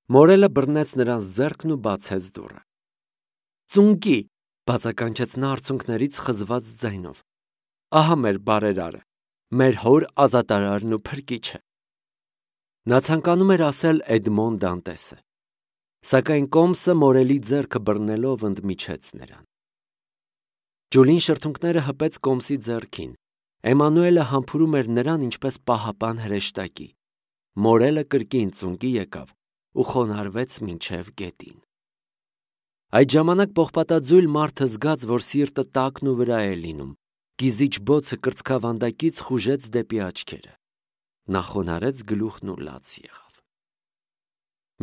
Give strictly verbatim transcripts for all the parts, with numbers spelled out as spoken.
Մորելը բռնեց նրանց ձեռքն ու բացեց դուռը։ Ծունկի, բացականչեց նա արցունքներից խզված ձայնով։ Ահա մեր բարերարը, մեր հոր ազատարարն ու փրկիչը։ Նա ցանկանում էր ասել Էդմոն Դանտեսը, սակայն կոմսը մորելի ձեռքը բռնելով ընդմիջեց նրան։ Ջուլին շրթունքները հպեց կոմսի ձեռքին։ Էմանուելը համբուրում էր նրան ինչպես պահապան հրեշտակի։ Մորելը կրկին ծունկի եկավ ու խոնարհվեց մինչև գետին։ Այդ ժամանակ պողպատաձույլ մարդը զգաց, որ սիրտը տակն ու վրա է լինում, կիզիչ բոցը կրծքավանդակից խուժեց դեպի աչքերը։ Նա խոնարհեց գլուխն ու լաց եղավ։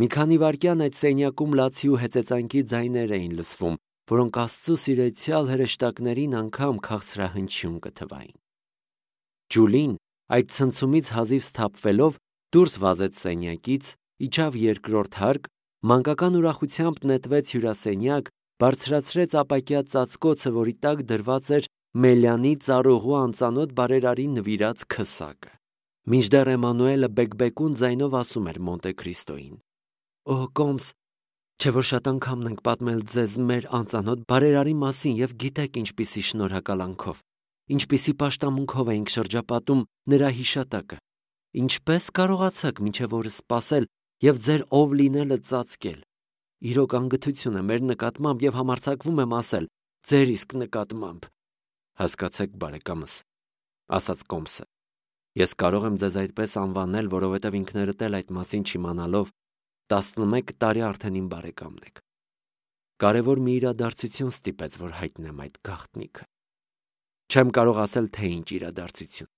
Մի քանի վայրկյան այդ սենյակում լացի ու հեծեծանքի ձայներ էին լսվում, որոնք Աստծո սիրեցյալ հրեշտակներին անգամ քաղցրահնչյուն կթվային։ Ջուլին այդ ցնցումից հազիվ սթափվելով դուրս վազեց սենյակից, իջավ երկրորդ հարկ, մանկական ուրախությամբ նետվեց հյուրասենյակ, բարձրացրեց ապակյա ծածկոցը, որի տակ դրված էր Մելյանի ծառուղու անծանոթ բարերարի նվիրած քսակը։ Մինչդեռ Էմանուելը բեկբեկուն ձայնով ասում էր Մոնտե Քրիստոյին. «Օ, կոմս, չէ՞ որ շատ անգամ ենք պատմել ձեզ մեր անծանոթ բարերարի մասին և գիտեք ինչպիսի շնորհակալանքով, ինչպիսի պաշտամունքով էինք շրջապատում նրա հիշատակը, ինչպե՞ս կարողացաք մինչև օրս սպասել և ձեր ով լինելը ծածկել։ Իրոք անգթություն է մեր նկատմամբ և համարձակվում եմ ասել, ձեր իսկ նկատմամբ»։ Հասկացեք, բարեկամս, ասաց կոմսը, ես կարող եմ ձեզ այդպես անվանել, որովհետև ինքներդ էլ այդ մասին չիմանալով տասնմեկ տարի արդեն իմ բարեկամն եք։ Կարևոր մի իրադարձություն ստիպեց, որ հայտնեմ այդ գաղտնիքը։ Չեմ կարող ասել, թե ինչ իրադարձություն։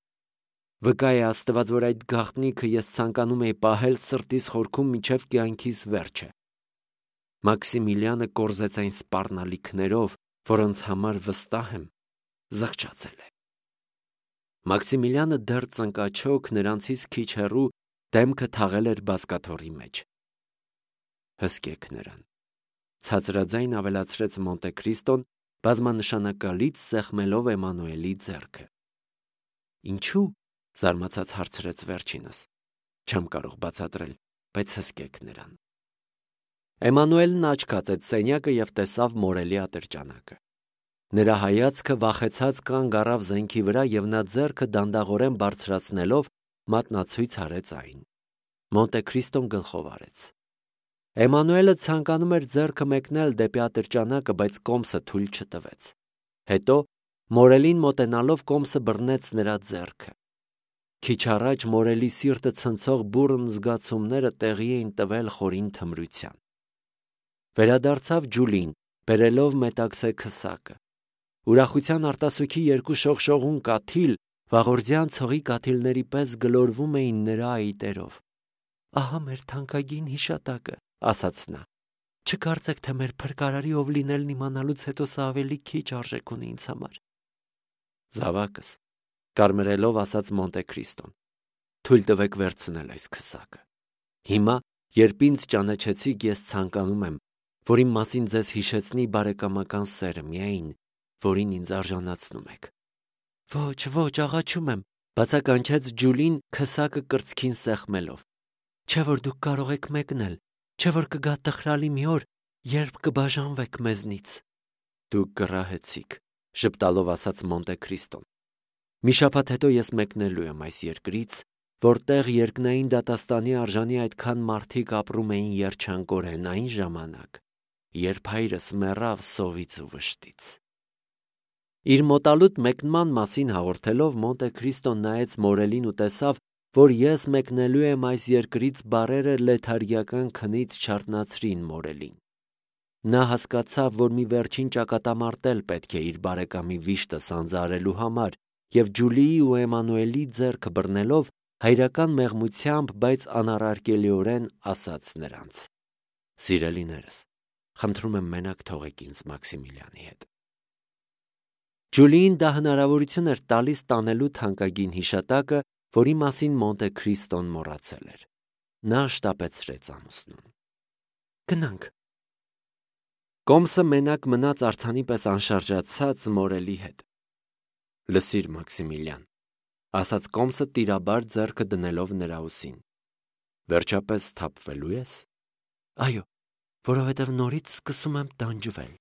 Վկա է Աստված, որ այդ գաղտնիքը ես ցանկանում էի պահել սրտիս խորքում մինչև կյանքիս վերջը։ Մաքսիմիլիանը կորզեց այն սպառնալիքներով, որոնց համար վստահ եմ, զղջացել է։ Մաքսիմիլիանը դեռ ծնկաչոք նրանցից քիչ հեռու դեմքը թաղել էր բազկաթոռի մեջ։ Հսկեք նրան, ցածրաձայն ավելացրեց Մոնտե Քրիստոն, բազմանշանակալից սեղմելով Էմանուելի ձեռքը։ Ինչու՞, զարմացած հարցրեց վերջինս։ Չեմ կարող բացատրել, բայց հսկեք նրան։ Էմանուելն աչքացեց սենյակը և տեսավ մորելի ատրճանակը։ Նրա հայացքը վախեցած կանգ առավ զենքի վրա և նա ձեռքը դանդաղորեն բարձրացնելով մատնացույց արեց այն։ Մոնտե Քրիստոն գլխով արեց։ Էմանուելը ցանկանում էր ձեռքը մեկնել դեպի ատրճանակը, բայց կոմսը թույլ չտվեց։ Հետո մորելին մոտենալով կոմսը բռնեց նրա ձեռքը։ Քիչ առաջ մորելի սիրտը ցնցող բուռն զգացումները տեղի էին տվել խորին թմրության։ Վերադարձավ Ջուլին, բերելով մետաքսե քսակը։ Ուրախության արտասուքի երկու շողշողուն կաթիլ վաղորդյան ցողի կաթիլների պես գլորվում էին նրա այտերով։ Ահա մեր թանկագին հիշատակը, ասաց նա։ Չկարծեք, թե մեր փրկարարի ով լինելն իմանալուց հետո սա ավելի քիչ արժեք ունի ինձ համար։ Զավակս, կարմրելով ասաց Մոնտե Քրիստոն, թույլ տվեք վերցնել այս քսակը։ Հիմա, երբ ինձ ճանաչեցիք, ես ցանկանում եմ, որ իմ մասին ձեզ հիշեցնի բարեկամական սերը միայն, որին ինձ արժանացնում եք։ Ոչ, ոչ, աղաչում եմ, բացականչեց Ջուլին քսակը կրծքին սեղմելով։ Չէ՞ որ դուք կարող եք մեկնել, չէ՞ որ կգա տխրալի մի օր, երբ կբաժանվեք մեզնից։ Դուք կռահեցիք, ժպտալով ասաց Մոնտե Քրիստոն։ Մի շաբաթ հետո ես մեկնելու եմ այս երկրից, որտեղ երկնային դատաստանի արժանի այդքան մարդիկ ապրում էին երջանկորեն այն ժամանակ, երբ հայրս մեռավ սովից ու վշտից։ Իր մոտալուտ մեկնման մասին հաղորդելով Մոնտե Քրիստոն նայեց մորելին ու տեսավ, որ ես մեկնելու եմ այս երկրից բառերը լեթարգիական քնից չարթնացրին մորելին։ Նա հասկացավ, որ մի վերջին ճակատամարտ էլ պետք է իր բարեկամի վիշտը սանձարելու համար և Ջուլիի ու Էմանուելի ձեռքը բռնելով հայրական մեղմությամբ, բայց անառարկելիորեն ասաց նրանց. Սիրելիներս, խնդրում եմ մենակ թողեք ինձ Մաքսիմիլիանի հետ։ Ջուլիին դա հնարավորություն էր տալիս տանելու թանկագին հիշատակը, որի մասին Մոնտե Քրիստոն մոռացել էր։ Նա շտապեցրեց ամուսնուն։ Գնանք։ Կոմսը մենակ մնաց արձանի պես անշարժացած մորելի հետ։ Լսիր, Մաքսիմիլիան, ասաց կոմսը տիրաբար ձեռքը դնելով նրա ուսին։ Վերջապես սթափվելու ես։ Այո, որովհետև նորից սկսում եմ տանջվել։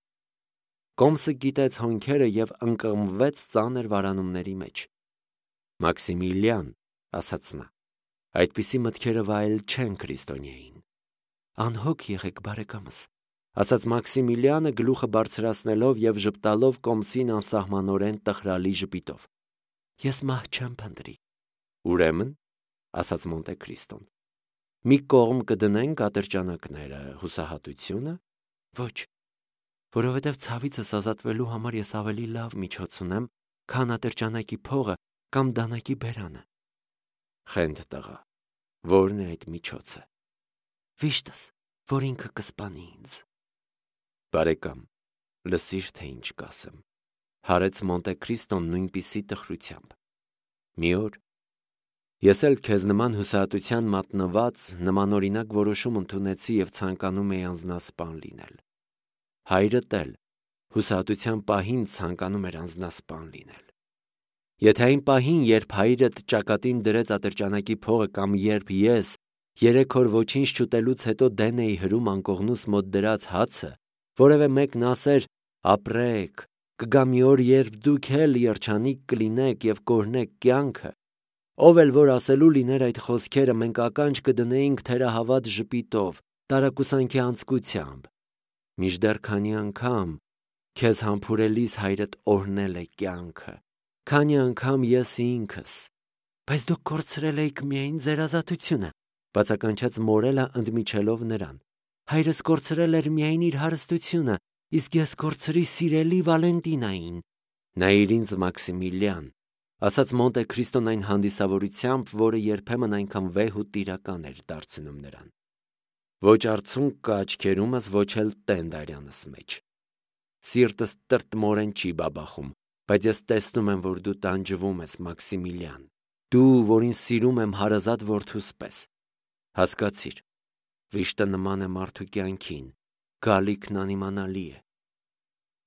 Կոմսը գիտեց հոնքերը և ընկղմվեց ծանր վարանումների մեջ։ Մաքսիմիլիան, ասաց նա, այդպիսի մտքերը վայել չեն քրիստոնյային։ Անհոգ եղեք, բարեկամս, ասաց Մաքսիմիլիանը գլուխը բարձրացնելով և ժպտալով Կոմսին անսահմանորեն տխրալի ժպիտով։ Ես մահ չեմ փնտրի։ Ուրեմն, ասաց Մոնտե Քրիստոն, մի կողմ կդնենք ատրճանակները, հուսահատությունը։ Ոչ, որովհետև ցավիցս ազատվելու համար ես ավելի լավ միջոց ունեմ, քան ատրճանակի փողը կամ դանակի բերանը։ Խենթ տղա, ո՞րն է այդ միջոցը։ Վիշտս, որ ինքը կսպանի ինձ։ Բարեկամ, լսիր, թե ինչ կասեմ, հարեց Մոնտե Քրիստոն նույնպիսի տխրությամբ։ Մի օր ես էլ քեզ նման հուսահատության մատնված նմանօրինակ որոշում ընդունեցի և ցանկանում էի անձնասպան լինել։ Հայրդ էլ հուսահատության պահին ցանկանում էր անձնասպան լինել։ Եթե այն պահին, երբ հայրդ ճակատին դրեց ատրճանակի փողը կամ երբ ես երեք օր ոչինչ չուտելուց հետո դեն էի հրում անկողնուս մոտ դրած հացը, որևէ մեկն ասեր ապրեք, կգա մի օր, երբ դուք էլ երջանիկ կլինեք և կօրհնեք կյանքը, ով էլ որ ասելու լիներ այդ խոսքերը, մենք ականջ կդնեինք թերահավատ ժպիտով, տարակուսանքի անձկությամբ, մինչդեռ քանի անգամ քեզ համբուրելիս հայրդ օրհնել է կյանքը, քանի անգամ ես ինքս։ Բայց դուք կորցրել էիք միայն ձեր ազատությունը, բացականչեց Մորելը ընդմիջելով նրան։ Հայրս կորցրել էր միայն իր հարստությունը, իսկ ես կորցրի սիրելի Վալենտինային։ Նայիր ինձ, Մաքսիմիլիան, ասաց Մոնտե Քրիստոն այն հանդիսավորությամբ, որը երբեմն այնքան վեհ ու տիրական էր դարձնում նրան։ Ոչ արցունք կա աչքերումս, ոչ էլ տենդ արյանս մեջ։ Սիրտս տրտմորեն չի բաբախում, բայց ես տեսնում եմ, որ դու տանջվում ես, Մաքսիմիլիան, դու, որին սիրում եմ հարազատ որդուս պես։ Հասկացիր, վիշտը նման է մարդու կյանքին, գալիքն անիմանալի է։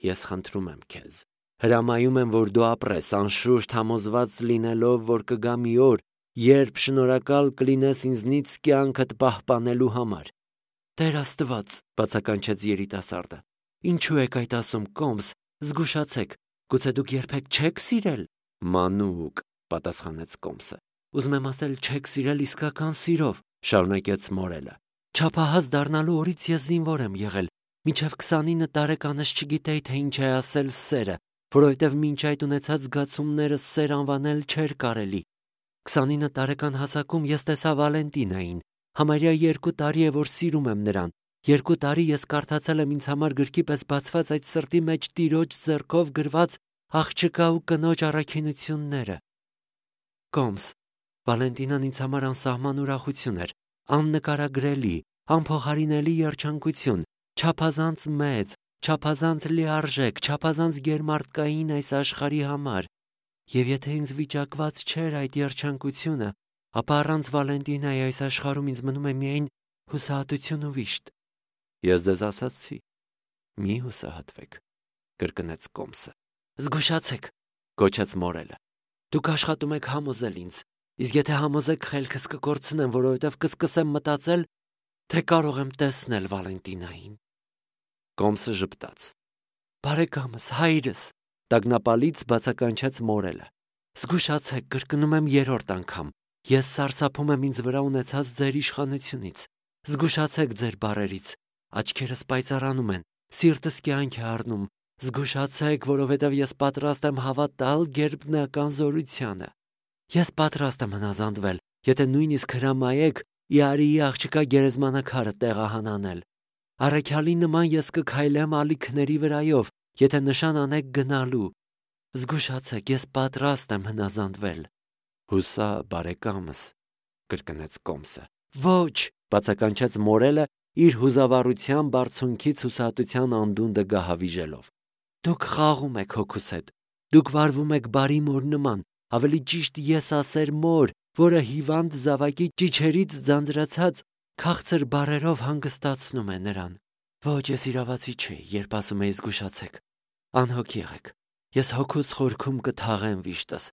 Ես խնդրում եմ քեզ, հրամայում եմ, որ դու ապրես, անշուշտ համոզված լինելով, որ կգա մի օր, երբ շնորհակալ կլինես ինձնից կյանքդ պահպանելու համար։ Տեր Աստված, բացականչեց երիտասարդը, ինչու եք այդ ասում, Կոմս, զգուշացեք, գուցե դուք երբեք չեք սիրել։ Մանուկ, պատասխանեց Կոմսը, ուզում եմ ասել, չեք սիրել իսկական սիրով, շարունակեց Մորելը։ Չափահաս դառնալու օրից ես զինվոր եմ եղել, մինչև քսանինը տարեկանս չգիտեի, թե ինչ է ասել սերը, որովհետև մինչ այդ ունեցած զգացումները սեր անվանել չէր կարելի։ Քսանինը տարեկան հասակում ես տեսա Վալենտինային, համարյա երկու տարի է, որ սիրում եմ նրան, երկու տարի ես կարդացել եմ ինձ համար գրքի պես բացված այդ սրտի մեջ տիրոջ ձեռքով գրված աղջկա ու կնոջ առաքինությունները։ Կոմս, Վալենտինան ինձ համար անսահման ուրախություն էր, աննկարագրելի, անփոխարինելի երջանկություն, չափազանց մեծ, չափազանց լիարժեք, չափազանց գերմարդկային այս աշխարհի համար, և եթե ինձ վիճակված չէր այդ երջանկությունը, ապա առանց Վալենտինայի այս աշխարհում ինձ մնում է միայն հուսահատություն ու վիշտ։ Ես ձեզ ասացի, մի հուսահատվեք, կրկնեց Կոմսը։ Զգուշացեք, գոչեց Մորելը, դուք աշխատում եք համոզել ինձ, իսկ եթե համոզեք, խելքս կկորցնեմ, որովհետև կսկսեմ մտածել, թե կարող եմ տեսնել Վալենտինային։ Կոմսը ժպտաց։ Բարեկամս, հայրս, տագնապալից բացականչեց Մորելը։ Զգուշացեք, կրկնում եմ երրորդ անգամ, ես սարսափում եմ ինձ վրա ունեցած ձեր իշխանությունից։ Զգուշացեք ձեր բառերից, աչքերս պայծառանում են, սիրտս կյանք է առնում։ Զգուշացեք, որովհետև ես պատրաստ եմ հավատալ գերբնական զորությանը։ Ես պատրաստ եմ հնազանդվել, եթե նույնիսկ հրամայեք Իարիի աղջկա գերեզմանակարը տեղահանանել։ Առաքյալի նման ես կքայլեմ ալիքների վրայով, եթե նշան անեք գնալու։ Զգուշացեք, ես պատրաստ եմ հնազանդվել։ Հուսա, բարեկամս, կրկնեց Կոմսը։ Ոչ, բացականչեց Մորելը իր հուզավառության բարձունքից հուսահատության անդունդը գահավիժելով։ Դուք խաղում եք հոգուս հետ, դուք վարվում եք բարի մոր նման, ավելի ճիշտ ես ասեր մոր, որը հիվանդ զավակի ճիչերից ձանձրացած քաղցր բառերով հանգստացնում է նրան։ Ոչ, ես իրավացի չէի, երբ ասում էի զգուշացեք։ Անհոգ եղեք, ես հոգուս խորքում կթաղեմ վիշտս,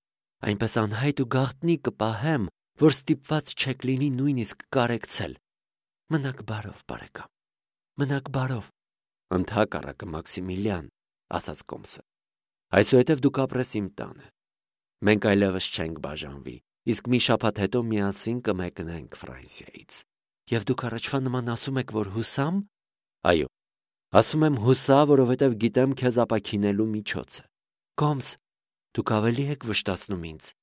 այնպես անհայտ ու գաղտնի կպահեմ, որ ստիպված չեք լինի նույնիսկ կարեկցել։ Մնաք բարով, բարեկամ։ Մնաք բարով։ Ընդհակառակը Մաքսիմիլիան, ասաց Կոմսը։ Այսուհետև դուք ապրես իմ տանը։ Մենք այլևս չենք բաժանվի, իսկ մի շաբաթ հետո միասին կմեկնենք Ֆրանսիայից։ Եվ դուք առաջվա նման ասում եք, որ հուսամ։ Այո, ասում եմ հուսա, որովհետև գիտեմ քեզ ապաքինելու միջոցը։ Կոմս, դուք ավելի եք վշտացնում ինձ։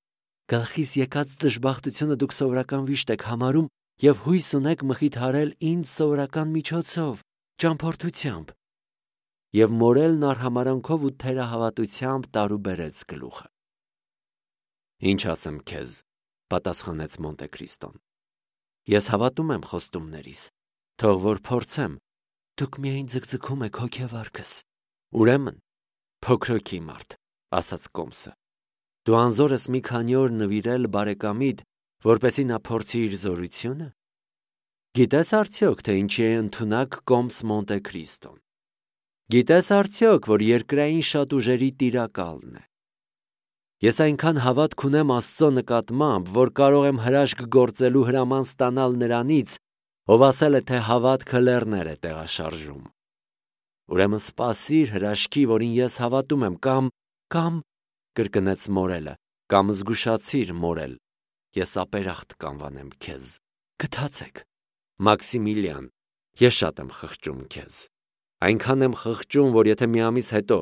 Գլխիս եկած դժբախտությունը դուք սովորական վիշտ եք համարում և հույս ունեք մխիթարել ինձ սովորական միջոցով, ճամփորդությամբ։ Եվ մորելն արհամարանքով ու թերահավատությամբ տարուբերեց գլուխը։ Ինչ ասեմ քեզ, պատասխանեց Մոնտե Քրիստոն։ Ես հավատում եմ խոստումներիս, թող որ փորձեմ, դուք միայն ձգձգում եք հոգևարքս։ Ուրեմն, փոքրոքի մարդ, ասաց Կոմսը, դու անզոր ես մի քանի օր նվիրել բարեկամիդ, որպեսզի նա փորձի իր զորությունը։ Գիտես արդյոք, թե ինչի է ընդունակ Կոմս Մոնտե Քրիստոն։ Գիտես արդյոք, որ երկրային շատ ուժերի տիրակալն է։ Ես այնքան հավատք ունեմ Աստծո նկատմամբ, որ կարող եմ հրաշք գործելու հրաման ստանալ նրանից, ով ասել է, թե հավատքը լեռներ է տեղաշարժում։ Ուրեմն սպասիր հրաշքի, որին ես հավատում եմ, կամ, կամ, կրկնեց մորելը, կամ զգուշացիր մորել, ես ապերախտ կանվանեմ քեզ։ Գթացեք, Մաքսիմիլիան, ես շատ եմ խղճում քեզ։ Այնքան եմ խղճում, որ եթե մի ամիս հետո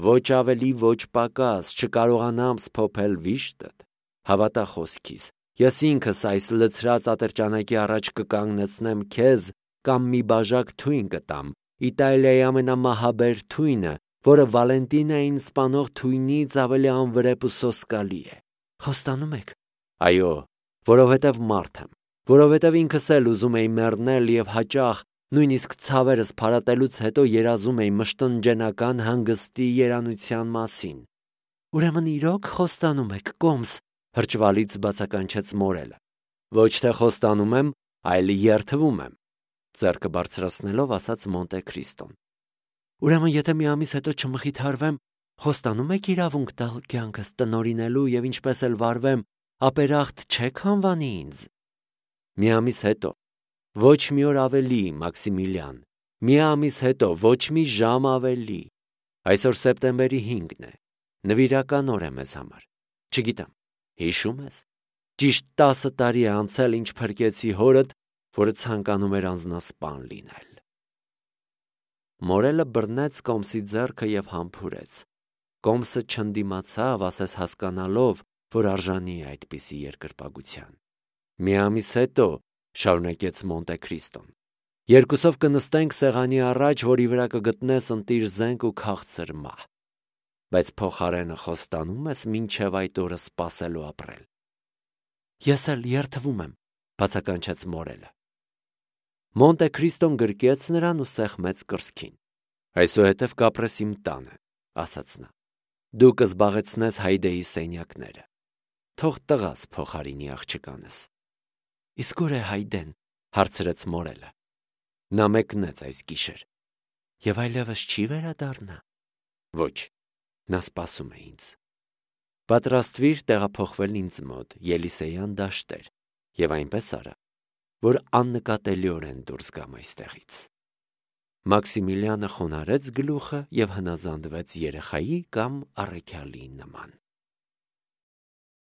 ոչ ավելի, ոչ պակաս չկարողանամ սփոփել վիշտդ, հավատա խոսքիս, ես ինքս այս լցրած ատրճանակի առաջ կկանգնեցնեմ քեզ կամ մի բաժակ թույն կտամ, Իտալիայի ամենամահաբեր թույնը, որը Վալենտինային սպանող թույնից ավելի անվրեպ ու սոսկալի է։ Խոստանում եք։ Այո, որովհետև մարդ եմ, որովհետև ինքս էլ ուզում էի մեռնել և հաճախ, նույնիսկ ցավերս փարատելուց հետո երազում էի մշտնջենական հանգստի երանության մասին։ Ուրեմն իրոք խոստանում եք, Կոմս, հրճվալից բացականչեց մորելը։ Ոչ թե խոստանում եմ, այլ երդվում եմ, ձեռքը բարձրացնելով ասաց Մոնտե Քրիստոն։ Ուրեմն եթե մի ամիս հետո չմխիթարվեմ, խոստանում եք իրավունք տալ կյանքս տնօրինելու և ինչպես էլ վարվեմ, ապերախտ չեք անվանի ինձ։ Մի ամիս հետո, ոչ մի օր ավելի, Մաքսիմիլիան, մի ամիս հետո, ոչ մի ժամ ավելի։ Այսօր սեպտեմբերի հինգն է, նվիրական օր է մեզ համար։ Չգիտեմ, հիշում ես։ Ճիշտ տասը տարի է անցել, ինչ փրկեցի հորդ, որը ցանկանում էր անձնասպան լինել։ Մորելը բռնեց Կոմսի ձեռքը և համբուրեց։ Կոմսը չընդդիմացավ, ասես հասկանալով, որ արժանի է այդպիսի երկրպագության։ Մի ամիս հետո, շարունակեց Մոնտե Քրիստոն, երկուսով կնստենք սեղանի առաջ, որի վրա կգտնես ընտիր զենք ու քաղցր մահ։ Բայց փոխարենը խոստանում ես մինչև այդ օրը սպասելու ապրել։ Ես էլ երդվում եմ, բացականչեց մորելը։ Մոնտե Քրիստոն գրկեց նրան ու սեղմեց կրծքին։ Այսուհետև կապրես իմ տանը, ասաց նա։ Դու կզբաղեցնես Հայդեի սենյակները։ Թող տղաս փոխարինի աղջկանս։ Իսկ ուր է Հայդեն, հարցրեց մորելը։ Նա մեկնեց այս գիշեր։ Եվ այլևս չի վերադառնա։ Ոչ, նա սպասում է ինձ։ Պատրաստվիր տեղափոխվել ինձ մոտ, Ելիսեյան դաշտեր, և այնպես արա, որ աննկատելիորեն դուրս գամ այստեղից։ Մաքսիմիլիանը խոնարհեց գլուխը և հնազանդվեց երեխայի կամ առաքյալի նման։